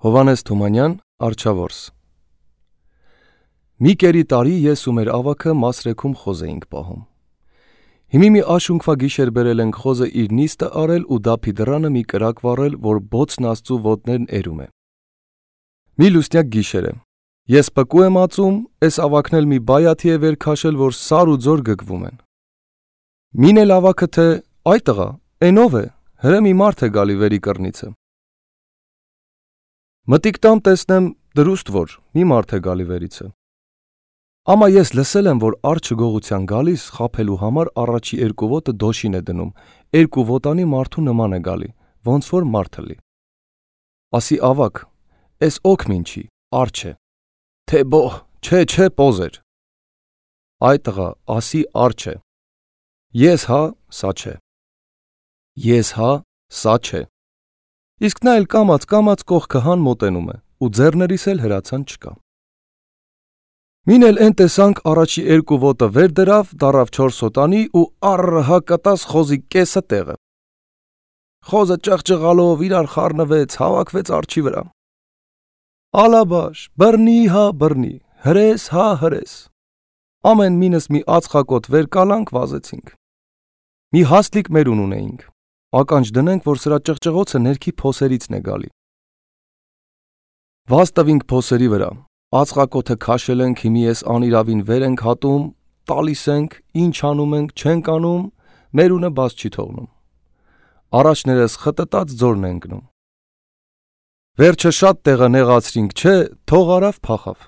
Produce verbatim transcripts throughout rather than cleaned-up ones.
Հովհաննես Թումանյան, Արչավորս։ Մի կերի տարի ես ու մեր ավագը Մասրեքում խոզ էինք պահում։ Հիմի մի աշունքվա գիշեր բերել ենք խոզը իր նիստը արել ու դափի դռանը մի կրակ վառել, որ բոցն աստծու ոտներն էրում է։ Մի լուսնյակ գիշեր է։ Ես պկու եմ ածում, էս ավագն էլ մի բայաթի է վեր քաշել, որ սար ու ձոր գգվում են։ Մին էլ ավագը թե այ տղա, էնով է, հրը մի մարդ է գալի վերի կռնիցը։ Մտիկ տամ տեսնեմ դրուստ որ մի մարդ է գալի վերիցը։ Ամա ես լսել եմ, որ արջը գողության գալիս խափելու համար առաջի երկու ոտը դոշին է դնում, երկու ոտանի մարդու նման է գալի, ոնց որ մարդը լի։ Ասի ավակ, էս օքմին չի, արջ է։ Թե բոհ, չէ, չէ, պոզեր։ Այ տղա, ասի արջ է։ Ես հա, սա չէ։ Ես հա, սա չէ։ Իսկ նա էլ կամաց կամաց կողքը հան մոտենում է, ու ձեռներիս էլ հրացան չկա։ Մին էլ են տեսանք առաջի երկու ոտը վեր դրավ, դարավ չորս հոտանի ու առ հա կտաս խոզի կեսը տեղը։ Խոզը ճղճղալով իրար խառնվեց, հավաքվեց արջի վրա։ Ալաբաշ, բռնի հա բռնի, հրես հա հրես։ Ամեն մինս մի ածխակոտ վեր կալանք վազեցինք։ Մի հաստլիկ մերուն ունեինք։ Ականջ դնենք, որ սրա ճղճղոցը ներքի փոսերիցն է գալի։ Վազ տվինք փոսերի վրա, ածխակոթը քաշել ենք, հիմի ես անիրավին վեր ենք հատում, տալիս ենք, ինչ անում ենք, չենք անում, մերունը բաց չի թողնում։ Առաջներս խտտած ձորն ենք գնում։ Վերջը շատ տեղը նեղացրինք, չէ, թող արավ փախավ։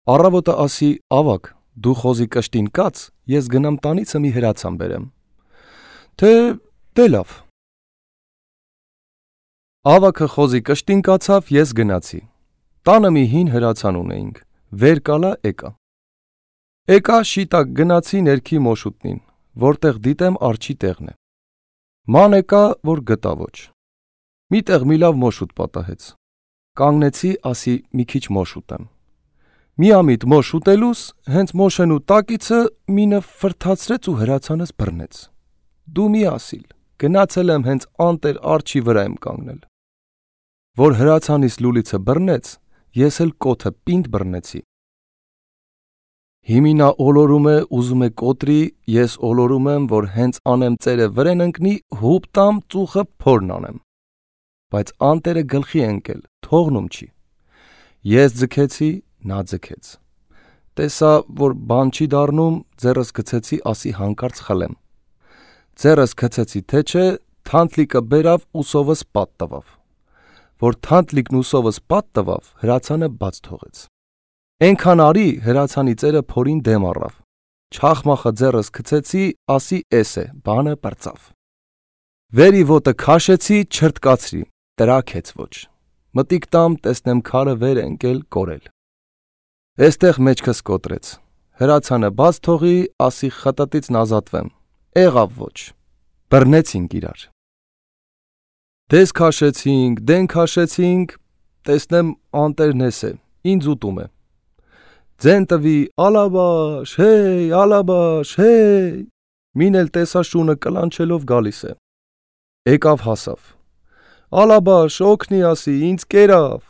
Առավոտը ասի ավակ, դու խոզի կշտին կաց, ես գնամ տանիցը մի հրացան բերեմ։ Թե դե լավ։ Ավակը խոզի կշտին կացավ, ես գնացի։ Տանը մի հին հրացան ունեինք, վեր կալա եկա։ Եկա շիտակ գնացի ներքի մոշուտնին, որտեղ դիտեմ արջի տեղն է։ Ման եկա, որ գտա ոչ։ Միտեղ մի լավ մոշուտ պատահեց։ Կանգնեցի, ասի մի քիչ մոշուտեմ։ Միամիտ մոշուտելուս, հենց մոշենու տակիցը մինը ֆրթացրեց ու հրացանս բռնեց։ Դու մի ասիլ, գնացել եմ հենց անտեր արջի վրա եմ կանգնել։ Որ հրացանիս լուլիցը բռնեց, ես էլ կոթը պինդ բռնեցի։ Հիմի նա ոլորում է, ուզում է կոտրի, ես ոլորում եմ, որ հենց անեմ ծերը վրեն ընկնի, հուպ տամ ծուխը փորն անեմ։ Բայց անտերը գլխի ընկել, թողնում չի։ Ես ձգեցի, նա ձգեց։ Տեսա, որ բան չի դառնում, ձեռս գցեցի, ասի հանկարծ խլեմ։ Ձեռս գցեցի, թե չէ, թանթլիկը բերավ ուսովս պատ տվավ։ Որ թանթլիկն ուսովս պատ տվավ, հրացանը բաց թողեց։ Էնքան արի, հրացանի ծերը փորին դեմ առավ։ Չախմախը ձեռս գցեցի, ասի էս է, բանը պրծավ։ Վերի ոտը քաշեցի, չրտկացրի, տրաքեց ոչ։ Մտիկ տամ, տեսնեմ քարը վեր ընկել կորել։ Էստեղ մեջքս կոտրեց։ Հրացանը բաց թողի, ասի խտտից նազատվեմ։ Եղավ ոչ։ Բռնեցինք իրար։ Դես քաշեցինք, դեն քաշեցինք, տեսնեմ անտերն էս է, ինձ ուտում է։ Ձեն տվի, ալաբաշ, հեյ, ալաբաշ, հեյ։ Մին էլ տեսա շունը կլանչելով գալիս է։ Եկավ հասավ։ Ալաբաշ, օգնի ասի, ինձ կերավ։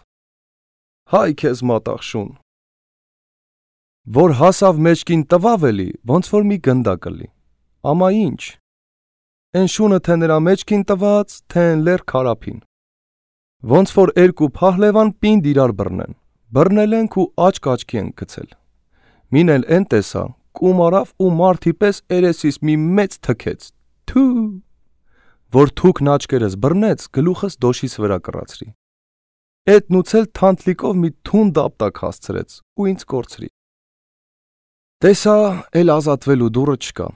Հայ քեզ մատաղ շուն։ Որ հասավ մեջքին տվավ էլի, ոնց որ մի գնդակ լի։ Ամա ինչ։ Են շունը թե նրա մեջքին տված, թե են լեր քարափին։ Ոնց որ երկու փահլևան պինդ իրար բռնեն։ Բռնել ենք ու աչք աչքի ենք գցել։ Մին էլ են տեսա, կում արավ ու մարդի պես երեսիս մի մեծ թքեց։ Թու։ Որ թուքն աչքերս բռնեց, գլուխս դոշիս վրա կռացրի։ Էդնուց էլ թանթլիկով մի թուն դապտակ հասցրեց ու ինձ կորցրի։ Տեսա, էլ ազատվելու դուրը չկա։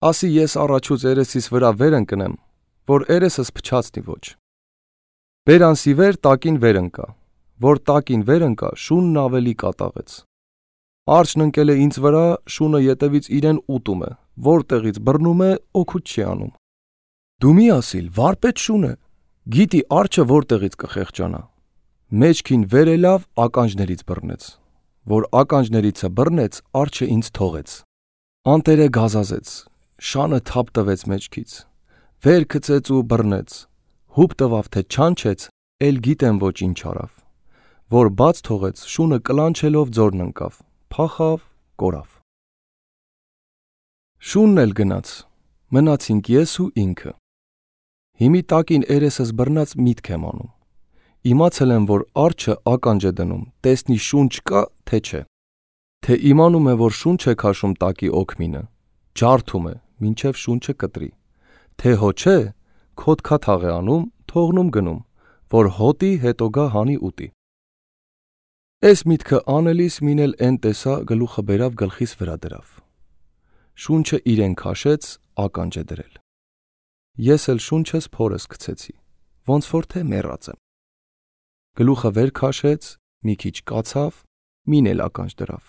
Ասի ես առաջուց երեսիս վրա վեր ընկնեմ, որ երեսս փչացնի ոչ։ Բերանսի վեր տակին վեր ընկա, որ տակին վեր ընկա, շունն ավելի կատաղեց։ Արջն ընկել է ինձ վրա, շունը ետևից իրեն ուտում է, որտեղից բռնում է, օգուտ չի անում։ Դու մի ասիլ, վարպետ շուն է, գիտի արջը որտեղից կխեղճանա։ Մեջքին վեր ելավ, ականջներից բռնեց, որ ականջներիցը բռնեց, արջը ինձ թողեց։ Անտերը գազազեց, շանը թափ տվեց մեջքից, վեր գցեց ու բռնեց, հուպ տվավ թե չանչեց, էլ գիտեմ ոչ ինչ արավ, որ բաց թողեց, շունը կլանչելով ձորն ընկավ, փախավ, կորավ։ Շունն էլ գնաց, մնացինք ես ու ինքը։ Հիմի տակին երեսս բռնած միտք եմ անում։ Իմացել եմ, որ արջը ականջ է դնում, տեսնի շունչ կա, թե չէ։ Թե իմանում է, որ շունչ է քաշում տակի օգմինը, ջարդում է, մինչև շունչը կտրի։ Թե հո չէ, քոթքաթաղ է անում, թողնում գնում, որ հոտի հետո գա հանի ուտի։ Էս միտքը անելիս մին էլ էն տեսա գլուխը բերավ գլխիս վրա դրավ։ Շունչը իրեն քաշեց, ականջ է դրել։ Ես էլ շունչս փորս գցեցի, ոնց որ թե մեռած եմ։ Գլուխը վեր քաշեց, մի քիչ կացավ, մին էլ ականջ դրավ։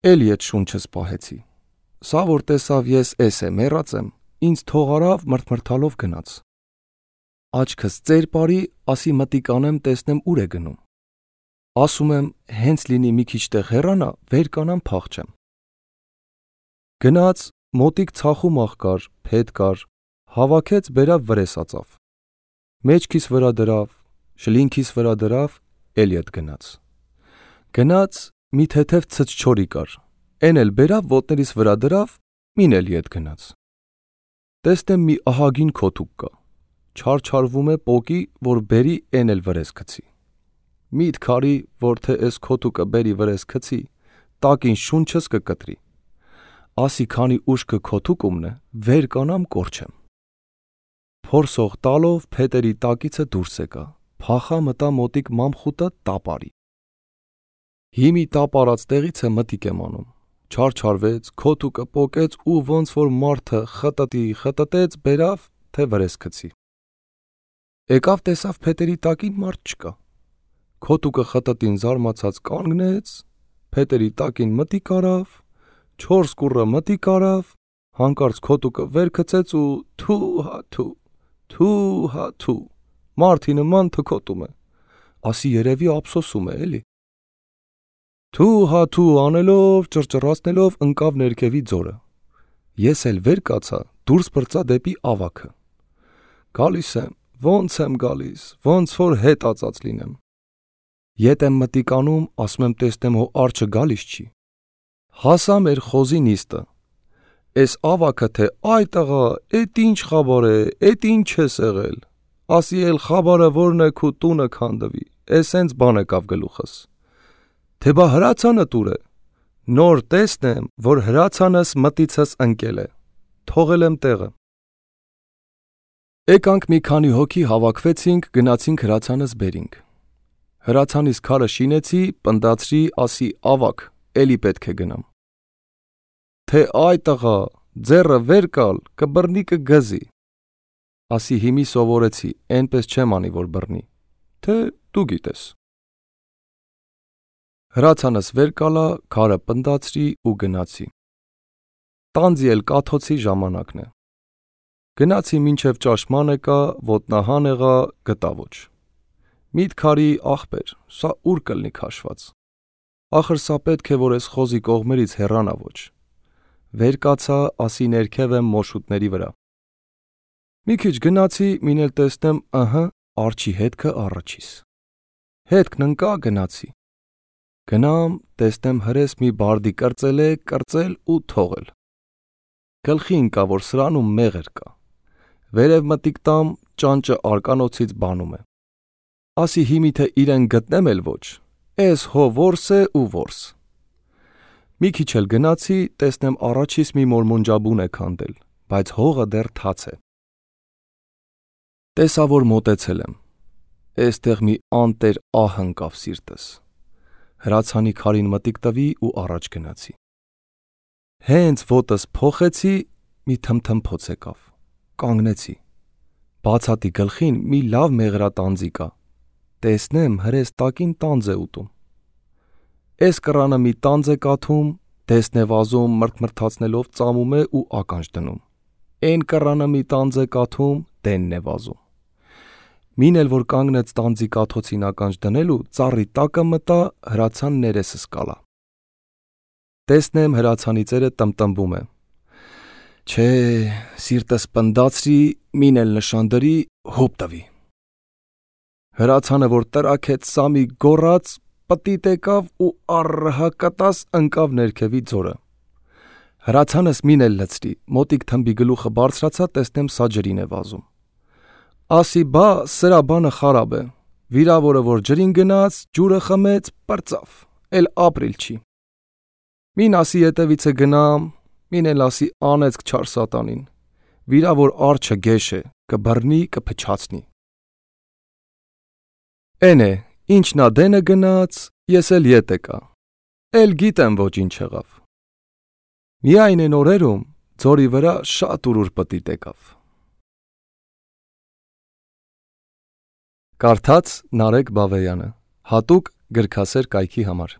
Էլի այդ շունչս պահեցի։ Սա որ տեսավ ես էս է մեռած եմ, ինձ թող արավ մրթմրթալով գնաց։ Աչքս ծեր բարի, ասի մտիկ անեմ տեսնեմ ուր է գնում։ Ասում եմ, հենց լինի մի քիչ տեղ հեռանա, վեր կանամ փախչեմ։ Գնաց, մոտիկ ցախում աղ կար, փետ կար, հավաքեց բերավ վրեսածավ։ Մեջքիս վրա դրավ, շլինքիս վրա դրավ, էլի հետ գնաց։ Գնաց, մի թեթև ցցչորի կար, էն էլ բերավ ոտներիս վրա դրավ, մին էլի հետ գնաց։ Տեսնեմ մի ահագին քոթուկ կա, չարչարվում է պոկի, որ բերի էն էլ վրես գցի։ Միտ քարի, որ թե էս քոթուկը բերի վրես գցի, տակին շունչս կկտրի։ Ասի քանի ուշքը քոթուկումն է, վեր կանամ կորչեմ։ Փորսող տալով փետերի տակիցը դուրս եկա, փախա մտա մոտիկ մամխուտը տապարի։ Հիմի տապարած տեղից է մտիկ եմ անում, չարչարվեց, քոթուկը պոկեց ու ոնց որ մարդը խտտի խտտեց, բերավ, թե վրես գցի։ Եկավ տեսավ փետերի տակին մարդ չկա։ Քոթուկը խտտին զարմացած կանգնեց, փետերի տակին մտիկ արավ, չորս կուռը մտիկ արավ, հանկարծ քոթուկը վեր գցեց ու թու հա թու, թու հա թու, մարդի նման թքոտում է, ասի երևի ափսոսում է էլի։ Թու հա թու անելով, ճռճռացնելով ընկավ ներքևի ձորը։ Ես էլ վեր կացա, դուրս պրծա դեպի ավաքը։ Գալիս եմ, ոնց եմ գալիս, ոնց որ հետ ածած լինեմ։ Ետ եմ մտիկ անում, ասում եմ տեսնեմ հո արջը գալիս չի։ Հասա մեր խոզի նիստը։ Էս ավաքը թե այ տղա, էդ ինչ խաբար է, էդ ինչ ես եղել։ Ասի էլ խաբարը որն է քու տունը քանդվի, էս հենց բան եկավ գլուխս։ Թե բա հրացանը տուր է։ Նոր տեսնեմ, որ հրացանս մտիցս ընկել է։ Թողել եմ տեղը։ Եկանք մի քանի հոգի հավաքվեցինք, գնացինք հրացանս բերինք։ Հրացանիս քարը շինեցի, պնդացրի, ասի ավակ, էլի պետք է գնամ։ Թե այ տղա, ձեռը վեր կալ, կբռնի կգզի։ Ասի հիմի սովորեցի, այնպես չեմ անի, որ բռնի։ Թե դու գիտես։ Հրացանս վեր կալա, քարը պնդացրի ու գնացի։ Տանձի էլ կաթոցի ժամանակն է։ Գնացի մինչև ճաշման եկա, ոտնահան եղա, գտա ոչ։ Միտ քարի ախպեր, սա ուր կլնի քաշված։ Ախր սա պետք է որ էս խոզի կողմերից հեռանա ոչ։ Վեր կացա, ասի ներքև եմ մոշուտների վրա։ Մի քիչ գնացի, մին էլ տեսնեմ, ըհը, արջի հետքը առաջիս։ Հետքն ընկա, գնացի։ Գնամ, տեսնեմ հրես մի բարդի կրծել է, կրծել ու թողել։ Գլխի ընկա, որ սրանում մեղր կա։ Վերև մտիկ տամ, ճանճը արկանոցից բանում է։ Ասի հիմի թե իրեն գտնեմ էլ ոչ, էս հո որս է ու որս։ Մի քիչ էլ գնացի, տեսնեմ առաջիս մի մորմոնջաբուն է քանդել, բայց հողը դեռ թաց է։ Տեսա, որ մոտեցել եմ։ Էստեղ մի անտեր ահ ընկավ սիրտս։ Հրացանի քարին մտիկ տվի ու առաջ գնացի։ Հենց ոտս փոխեցի, մի թմթմփոց եկավ։ Կանգնեցի։ Բացատի գլխին մի լավ մեղրատանձի կա։ Տեսնեմ հրես տակին տանձ է ուտում։ Էս կռանը մի տանձ է կաթում, դեսն է վազում, մրթմրթացնելով ծամում է ու ականջ դնում։ Էն կռանը մի տանձ է կաթում, դենն է վազում։ Մին էլ որ կանգնեց տանձի կաթոցին ականջ դնելու, ծառի տակը մտա, հրացան ներեսս կալա։ Տեսնեմ հրացանի ծերը տմտմբում է։ Չէ, սիրտս պնդացրի, մին էլ նշան դրի, հոպ տվի։ Հրացանը, որ տրաքեց Սամի գոռաց, պտիտ եկավ ու առհակատաս ընկավ ներքևի ձորը։ Հրացանս մին էլ լցրի, մոտիկ թմբի գլուխը բարձրացա, տեսնեմ սա ջրին է վազում։ Ասի բա սրա բանը խարաբ է, վիրավորը որ ջրին գնաց, ջուրը խմեց, պրծավ, էլ ապրիլ չի։ Մին ասի ետևիցը գնամ, մին էլ ասի անեցք չար սատանին, վիրավոր արջը գեշ է, կբռնի, կփչացնի։ Էն է, ինչնա դենը գնաց, ես էլ ետ եկա, էլ գիտեմ ոչինչ եղավ։ Միայն են օրերում ձորի վրա շատ ուրուր պտիտ եկավ։ Կարդաց Նարեկ Բավեյանը, հատուկ գրքասեր կայքի համար։